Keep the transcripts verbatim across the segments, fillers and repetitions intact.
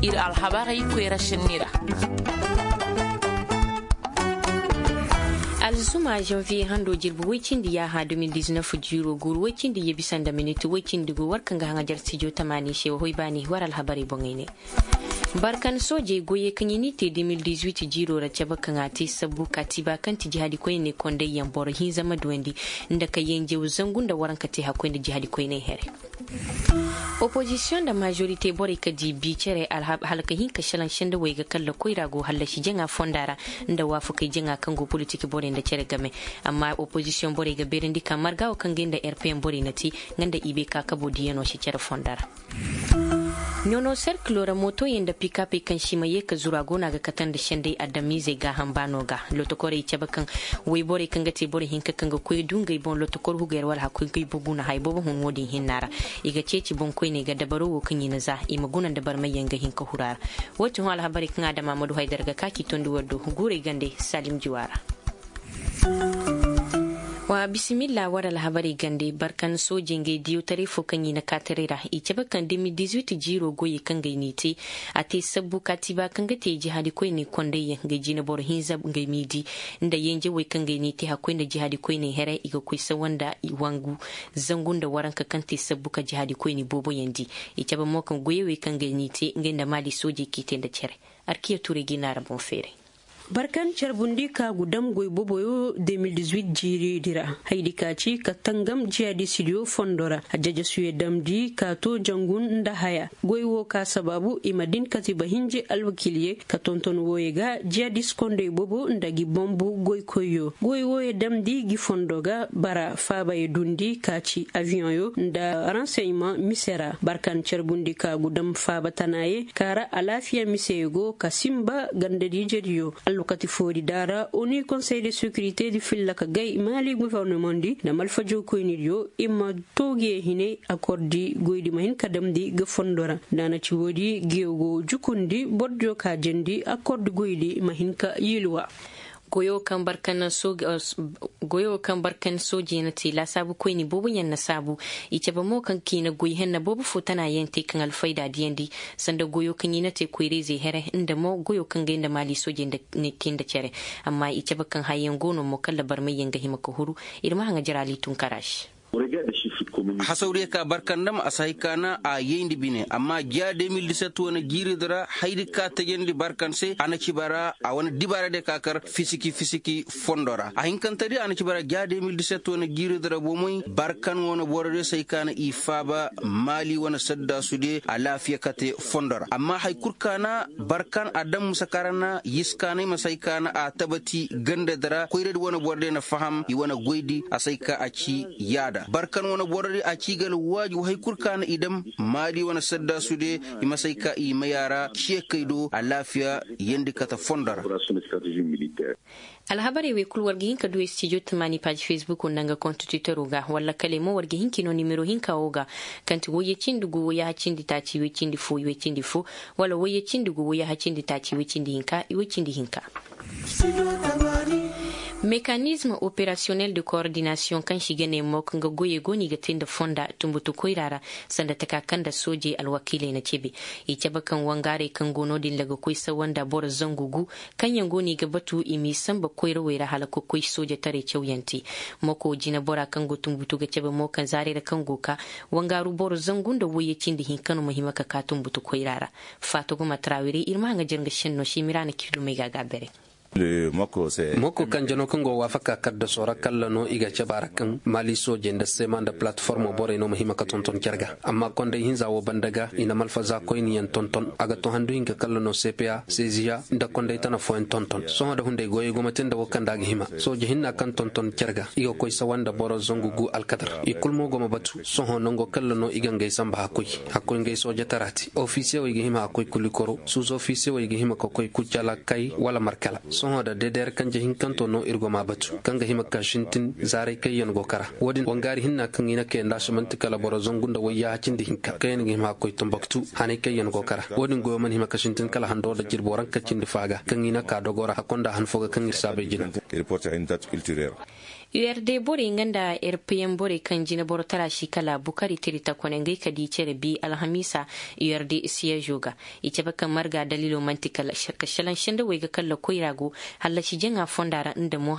Ir alhabarey koyra sinni ra. Alzuma janviye hando jirbi woy cindi yaaha deux mille dix-neuf jiiro guuru woy cindi ye bisa nda minit woy cindi go war kaŋ ga haŋajar stijo tamaani se wa hoy baani war alhabarey boŋey ne. Barkan soojey goyey kaŋ i n'i te deux mille dix-huit jiiro ra cabe kaŋ a te sabbu kaatiba kaŋ ti jihaadi koyney kondayyaŋ boro hinza ma duwandi nda ka yenjew zangu nda waranka te hakkoy nda jihaadi koyney here. Opozisiyoŋ nda majorite borey ka di bi cere hala ka hin ka šelaŋ sendawey ga kalla koyra go hallasi jaŋa fonda ra nda waafakey jaŋa kaŋ go politik borey nda cere game. Amma opozisiyoŋ borey ga beerandi ka marga wo kaŋ ga nda rpn borey na te nga nda i bay ka kabo diyanoo se cere fonda ra. Nono serkilo ra mootoyaŋ nda pikapey kaŋ si ma ye ka zuru a go no a ga kate nda sendey adamiizey gaaham baano ga. Lotokorey cabe kaŋ woyborey kaŋ ga te boro hinka kaŋ ga koy du ngey boŋ lotokor hugey ra wala hakkoy ga i bogu na haya boobo hun wo-din hinna ra. I ga ceeci boŋkoyney ga dabaro wo kaŋ i na za i ma guna nda barmayyaŋ ga hin ka huru a ra. Wo ti hõ alhabarey kaŋ adama ma du haydara ga ka k'i tondi war do guurey gande salim juwa ra. Wa bisimilla war alhabarey gande barkan soojey ngey diyawtaray fo kaŋ i na kaataray ra i cabe kaŋ deux mille dix-huit jiiro goyey kaŋ gay n'i te. A te sabbu kaatiba kaŋ ga te jihaadi koyney kondayyaŋ ngey jina boro hinza ngey miidi nda yenjewey kaŋ gay n'i te hakkoy nda jihaadi koyney here i ga koy sawa nda wangu zangu nda waranka kaŋ te sabbu ka jihaadi koyney booboyaŋ di. I cabe mo kaŋ goyey wey kaŋ gay n'i te ngey nda maali soojey k'i te nda cere. Arkiya turay ga i naara boŋ feeray. Barkan carbundi ka gu dam goy boboyo deux mille dix-huit jiiridi ra. Haydi ka ci ka tangam jihadisidiyo fondo ra a jajasuye damdi ka to jangun nda haya. Goy wo ka sabaabu i ma din katiba hinji alwakilye ka tonton wooye ga jihadis kondey bobo nda gi bombu goykoyyo goy wooye damdi gi fondo ga bara faabaye dundi ka ci aviyoŋyo nda ranseyman mise ra barkan carbundi ka gu dam faaba tanaye ka ra alaafiya miseye go ka sinba gandadiijediyo. Alwakati foodi daara oni konsey de sekirite di filla ka gay maali gofornomaŋ di nda malfajoo koynidiyo i ma too giye hine akordi goydi ma hin ka damndi ga fondo ra. Nda a na ci woodi giyo go jukundi bordiyo ka jendi akordi goydi ma hin ka yiiluwa. Goyo kaŋ barkan soojey na te laasaabu koyni booboyaŋ na saabu. I cabe mo kaŋ kiina goy henna boobo fo tana yaŋ te kaŋ alfayda diyandi sanda goyo kaŋ i na te koyra-izey here nda mo goyo kaŋ gay nda maali soojey nda te nda cere. Amma i cabe kaŋ hayyaŋ go no mo kala barmayyaŋ ga hima ka huru. Ir ma haŋa jaraali tunkara se. Hasawdiyo ka barkandam a si hay ka na a yayndi bine amma jiya deux mille dix-sept wane jiiridi ra haydi ka tajandi barkan se a na ci bara a wane dibaaradiyo ka kar fisiki fisiki fondo ra a hinkantedi a na ci bara jiya deux mille dix-sept wane jiiridi ra bomey barkan wane borodiyo si hay ka na i faaba maali wane saddaasudiyo alaafiya kate fondo ra amma hay kul ka na barkan a daŋ musa ka ra na yiskaanay ma si hay ka na a tabati gandadi ra koyradi wane borodiyo na faham i wane goydi a si hay ka a ci yaada barkan wane borodi a ci ga alwaaju hay kul ka na i daŋ maali wane saddaasudiyo i ma si hay ka i may a ra ciye kay do alaafiya yeendi kate fondo ra. Alhabarey wey kul war ga hin ka du studio tamaani paaji facebook nda nga konstitutero ga walla kale mo war ga hin ka i no nimero hinka wo ga kaŋ ti woyye cindi gu woyyaha cindi taaci woy cindi fo woy cindi fo wala woyye cindi gu woyyaha cindi taaci woy cindi hinka woy cindi hinka. Mekanizm operasiyonel de koordinasiyoŋ kaŋ se i ga ne mo kaŋ ga goyey go no i ga te nda fonda tunbutu koyra ra sanda taka kaŋ nda soojey alwakiiley na cebe. I cabe kaŋ wangaarey kaŋ go no- din ra ga koy sawa nda boro zangu gu kaŋ yaŋ go no i ga batu i m'i sanba koyrawey ra hala ka koy soojataray cawyaŋ te. Moko jinebora kaŋ go tunbutu ga cabe mo kaŋ zaarey ra kaŋ go ka wangaaru boro zangu nda woyye cindi hinka no ma hima ka ka tunbutu koyra ra. Faatoguma taraawirey ir ma haŋa jere nga senno se miraana kirdumey ga a ga a bere. Moko kanjano kaŋ go waafaka kaddaso ra kalla no i ga cabe a ra kaŋ maali soojey nda seema nda palataformo borey no ma hima ka tonton care ga amma konday hinza wo banda ga i na malfaza koyniyaŋ tonton a ga to handu hinka kalla no seepeya seeziya nda konday tana fooyaŋ tonton sohõ nda hunday goyey go ma te nda wo kaŋ nda a ga hima sooje hinna kaŋ tonton care ga i ga koy sawa nda boro zangu gu alkadar i kul mo go ma batu sohõ nango kalla no i ga ngey samba hakkoy hakkoy ngey soojatara te ofisiyewey ga hima hakkoy kulikoro suuzofisiyewey ga hima ka koy kucala kay wala markala. Sohõ da deedeer kanje hinkanto no ir go m'a batu kaŋ ga hima ka sintin zaaray kaŋ yaŋ go kara. Wo-din wangaari hinna kaŋ i na kay nda a si man'ti kala boro zangu nda wayyaaha cindi hinka kaŋ yaŋ ga hima ka koy tanbaktu hanay kaŋ yaŋ go kara. Wo-din goyo mana hima ka sintin kala hando nda jirbo ranka cindi faaga kaŋ i na ka dogo ra hakko nda han fo ga kaŋ ir saabay jina. U r d borey nga nda r p m borey kaŋ jinaboro tara si kala bukari tiri takone ngey ka di cere bi alhamiisa. U r d siyeezo ga i cabe kaŋ marga daliilo man'ti kala ka šelaŋ sendawey ga kalla koyra go hallasi jaŋa fonda ra nda mo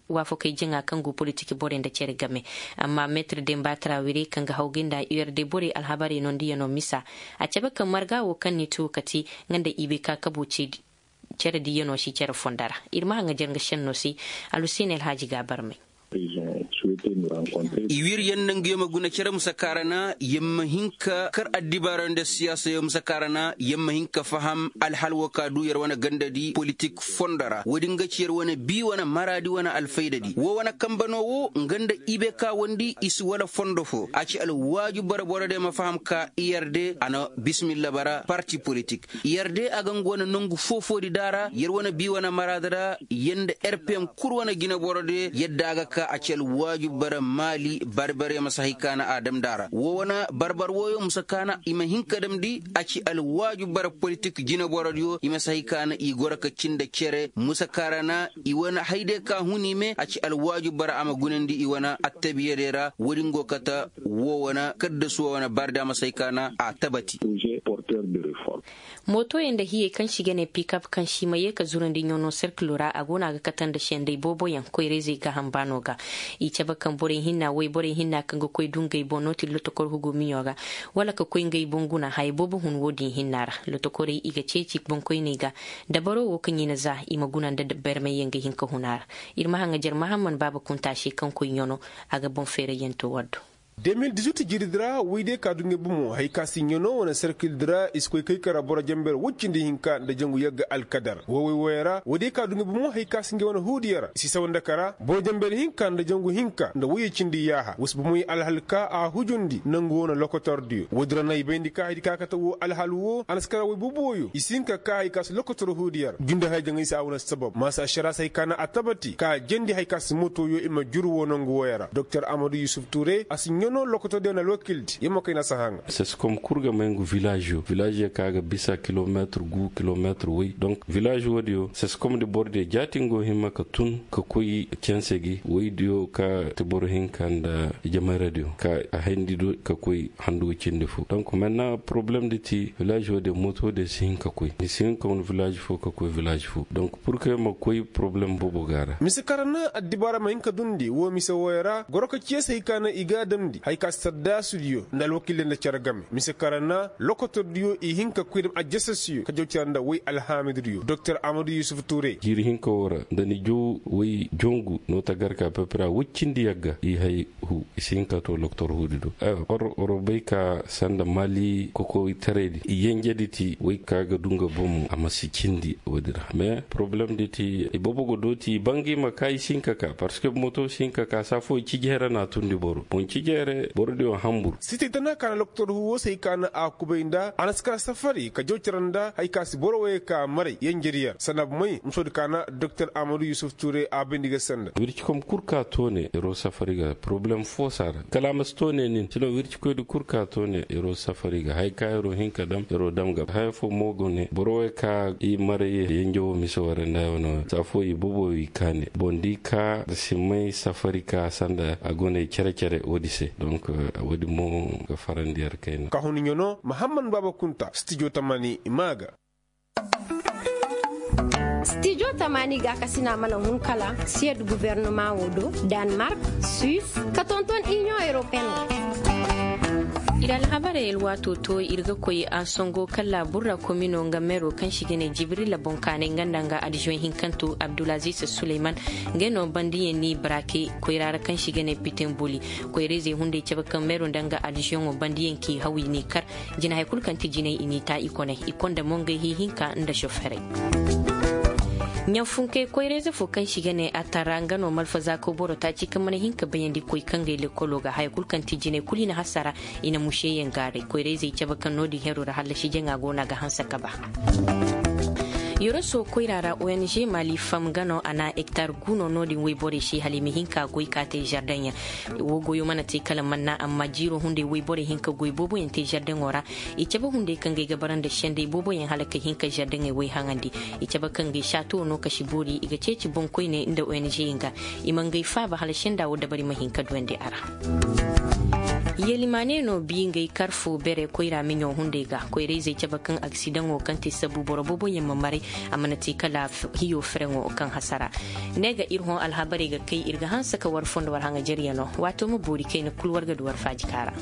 waafakey jaŋa kaŋ go politik borey nda cere game. Amma meetir demba tarawire kaŋ ga hawgay nda u r d borey alhabarey nondiyaŋo misa a cabe kaŋ marga wo kaŋ ni too ka te nga nda i bay ka kabo ceedi. Cere diiyaŋo si cere fonda ra. Ir ma haŋajer nga šenno se. Alhuseeni alhaaji ga a barmay. I wir yer nda nga yer ma guna cere musa kaarana yer ma hin ka kar addibaara nda siyaasa yer musa kaarana yer ma hin ka faham alhal wo ka du yer wane ganda di politik fondo ra wo- din ga ci yer wane bii wane maraadi wane alfayda di wo wane kambe no wo nga nda i bay ka wondi i si wala fondo fo a ci alwaaju bara boro de ma faham ka i yer de a na bismilla bara parti politik. Yer de a ga nga wane nangu foo-foodi da a ra yer wane bii wane maraada ra yer nda r p m kul wane jinaborodiyo yadda a ga ka a ci alwaajib bara maali barbaryo ma si hay ka na a damndi a ra woo wane barbar wooyo ma si ka na i ma hin ka damndi a ci alwaajib bara politik jinaborodiyo i ma si hay ka na i goro ka cindi cere ma si ka ra na i wane hayday ka hun i me a ci alwaajib bara a ma gunandi i wane attabiya day ra woodin go kate woo wane kaddasu woo wane barda ma si hay ka na a tabati. Motoyaŋ nda hiyey kaŋ se i ga ne pikap kaŋ se i ma yee ka zurandi ɲano serkilo ra a go no a ga kate nda sendey booboyaŋ koyrayzey gaaham baano ga. I cabe kaŋ borey hinna wayborey hinna kaŋ ga koy du ngey boŋ nooti lotokor hugumiyo ga wala ka koy ngey boŋ guna haya boobo hun wo-din hinna ra. Lotokorey i ga ceeci boŋkoyney ga dabaro wo kaŋ i na za i ma guna nda barmayyaŋ ga hin ka hun a ra. Ir ma haŋajer mahamman baaba kunta se kaŋ koy ɲano a ga boŋ feerayyaŋ to war do. De mil dizuit jiridi ra woy day ka du ngey bomo hari ka si ɲano wane serkildi ra i si koy kay kara boro jenber woy cindi hinka nda jangu yagga alkadar woy woy woyey ra woy day ka du ngey bomo hari ka si ngey wane huudiyo ra i si sawa nda kara boro jenber hinka nda jangu hinka nda woyey cindi yaaha wa si bomoy alhal ka a hujundi nangu wane lokotordiyo woy din ra no ay bayndi ka hari ka kate woo alhal woo a na si kara woy boobo wooyo i si hin ka ka hari ka si lokotor huudiyo ra junde haya jaŋay se a wane sabab maasa ašara si hari ka na a tabati ka a jandi hari ka si motoyo i ma juru woo nangu wooyo ra doktor amadu yusuf ture a si ɲano lokotordiyo na alwakildi yer ma kay na a si haŋa. Seskom kul ga may ngu vilaaziyo vilaaziyo kaŋ a ga bisa kilomeetir gu kilomeetir woy donk vilaazi woodiyo seskom di borodiyo jaati nga go hima ka tun ka koy canse gi woydiyo ka ti boro hinka nda jamaradiyo ka a hayndi do ka koy handu ga cindi fo donk menna poroblem di ti vilaazi woodiyo moto diyo si hin ka koy ni si hin ka wane vilaazi fo ka koy vilaazi fo donk pur ke ma koy poroblem boobo ga a ra. Mise kaŋ ra na addibaara ma hin ka dundi woo mise wooyo ra goro ka ciya se hari ka na i ga a damndi hari ka si saddaasudiyo nda alwakiildiyo nda cere game mise kaŋ ra na lokotordiyo i hin ka koy dam ajasasiyo ka jaw cere nda woy alhaamidudiyo doktor amadu yusuf ture. Jiiri hinka woo ra nda ni jaw woy jongu no tagarka pepera woy cindi yagga i hay hu i si hin ka too lokotor huudi do. War war bay ka sanda maali kokoytaraydi yenjedi ti woy ka ga du nga bomo a ma si cindi woodi ra mais poroblem di ti i boobo ga dooti i bangay ma ka i si hin ka ka parceque moto si hin ka ka saa foo i cijey ra na a tundi boro boŋ cijey ra borodiyo hambur. Sitey tana ka na lokotor huuwo se hay ka na a kubay nda a na si kara safari ka jaw cere nda hari ka si boro woyey ka maray yenjediyo ra sanda bumey musoodi ka na doktor amadu yusuf ture a bayndi ga sanda. Wircikom kul ka toone yeroo safari ga poroblem foo si a ra kala a ma si toone nin sino wircikoydi kul ka toone yeroo safari ga haya ka yeroo hin ka dam yeroo dam ga haya foo mo go ne boro wey ka i maray yenje woo mise woo ra nda yaŋ wane saa foo i boobo i kaane boŋ da i ka si may safari ka sanda a go ne cere-cere woodi se donk woodi mo ga farandi yer kayna. Ka hun ɲano mahamman baaba kunta stijo tamani i maa ga. Stijo tamani gaakasina mana hun kala siyed gubernama woo do, danmark, suis, ka tonton iniyoŋ europeen ra. Ir alhabarey alwaato to ir ga koy a songo kala burra komino nga meero kaŋ se i ga ne jibrila boŋkaanay nga nda nga adizoŋ hinkanto abdulaziz suleyman. Ngey no bandiyaŋ n'i barake koyra ra kaŋ se i ga ne pitenbuli. Koyra-izey hunday cabe kaŋ meero nda nga adizoŋo bandiyaŋ k'i haw i n'i kar. Jinahey kul kaŋ ti jinay i n'i taa i kone i konda mo ngey hii hinka nda soferey. Ɲanfunkey koyra-ize fo kaŋ se i ga ne a tara nga no malfazaako boro taaci kaŋ mana hin ka bayandi koy kangey lekkolo ga haya kul kaŋ ti jinay kul i na hasara. I na museyaŋ gaaray koyra-izey cabe kaŋ no-din hero ra hallasi jaŋa go no a ga hanse ka ba. Yoroso koyra ra ong mali fam ga no a na ektar guno no- din woyborey se hala i ma hin ka goy ka te zardeŋ yaŋ. Wo goyo mana te kala manna amma jiiro hunday woyborey hin ka goy boobo yaŋ te zardeŋo ra. I cabe hunday kaŋ ga ay ga bara nda senday boobo yaŋ hala ka hin ka zardeŋey woy haŋandi. I cabe kaŋ ga ay saatuwo no kasi boori i ga ceeci boŋkoyney nda ong yaŋ ga. I ma ngey faaba hala senda wo dabari ma hin ka duyandi a ra. Yelimaane no bi ngey karfo bere koyra miɲo hunday ga koyra-izey cabe kaŋ aksidaŋo kaŋ te sabu boro boobo yaŋ ma maray. A mana te kala hiyo fereŋo kaŋ hasara. Ne ga ir hõ alhabarey ga kay ir ga hanse ka war fo nda war haŋajaryaŋo waato ma boori kayna kul war ga du war faaji kaara.